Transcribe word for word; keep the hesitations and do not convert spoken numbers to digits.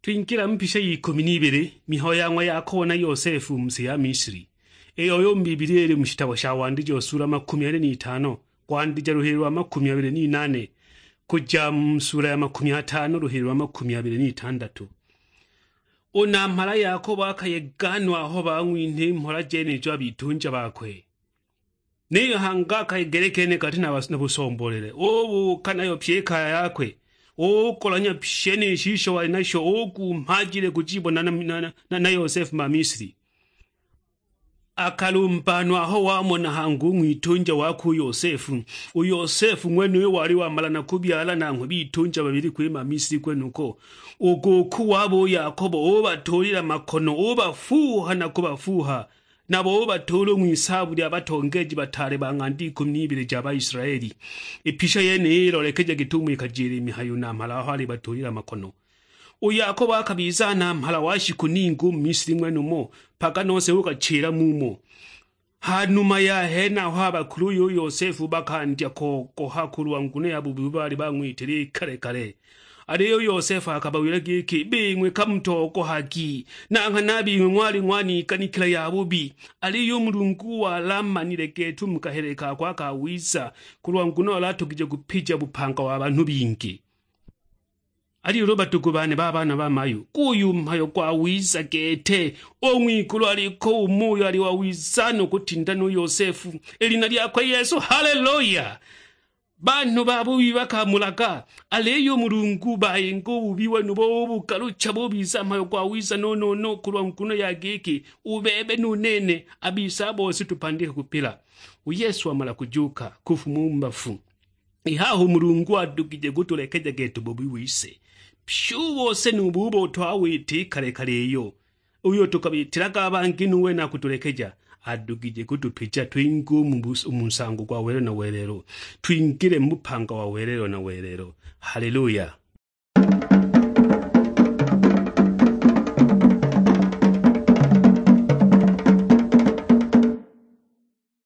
Twingila mu mpisha y'ikumi n'ibili, mihayo ya ng'wa Yakobo na Yosefu mu si ya Misri, iyo yo mu Bibilia ili mu shitabo sha Wandijo sula makumi abili n'itano, kwandija luhili lwa makumi abili n'inane, kuja mu sula ya makumi atano luhili lwa makumi abili n'itandatu. U namhala Yakobo akayega no aho bang'winha i mhola jenijo a bitunja bakwe. Niyo hangi akayegele kene kati na bas-, na busomboolele, ubuuka nayo pyi i kaya yakwe, ugolanya pyi shenisho wali nasho, ugumha ajile kujibona na, na, na, na Yosefu ma Misri. Akalumbanwa aho wamona hangi u ng'witunja wakwe u Yosefu. U Yosefu ng'wenuyo wali wamala na kubyala nanghwe bitunja babili kwima Misri kwenuko. U gūkū wabo u Yakobo ubatuulila makono, ubafuuha na kubafuuha. Nabo ubatuula u ng'wisaabbu lya batongeeji bataale ba ng'anda ikumi n'ibili ja Baisilaeli. I pisha yeniyi ilolekeja git'umo ikajila i mihayo namhala aho alibatuulila makono. U Yakobo akabiza namhala wa shiku ningi u mu Misili ng'wenumo, mpaka nose uukachila mumo. Ha numa ya henaho, a bakuluye u Yosefu bakandya kogoha kulwa nguno ya bubi ubo baali bang'witile i kale kale. Aliyo u Yosefu akabawila giki, "Bing'we kamutogohagi, na nghana a bing'we ng'wali ng'waniganikila yabubi." Aliyo u Mulungu wali amanile gete u mu kahele kakwe akawiza, kulwa nguno wali atogije kupija bupanga wa banhu bingi. Aliyo ulu, badugu bane ba baana ba mayu, guyu mhayo gwawiza gete. U ng'wigulu aliko umo uyo ali wawiza no kutinda nu Yosefu, i lina lyakwe Yesu. Haleluya! Banhu babubi bakamulaga, aliyo u Mulungu bayinga u bubi wenubo ubugalucha bubiza mhayo gwawiza no-no-no, kulwa nguno ya giki u bebe nu nene a bise a bose tupandike kupila. U Yesu wamala kujuka kufuma u mu bafu. I haha u Mulungu adugije kutulekeja gete u bubi wise. Pyi u bose nu bubo twawita i kale kale iyo. Uyo tukabitilaga a bangi nu wene akutulekeja, adugije kutupija twinge u mu bus-, u mu nsango gwa welelo na welelo, twingile mu bupanga wa welelo na welelo. Haleluya!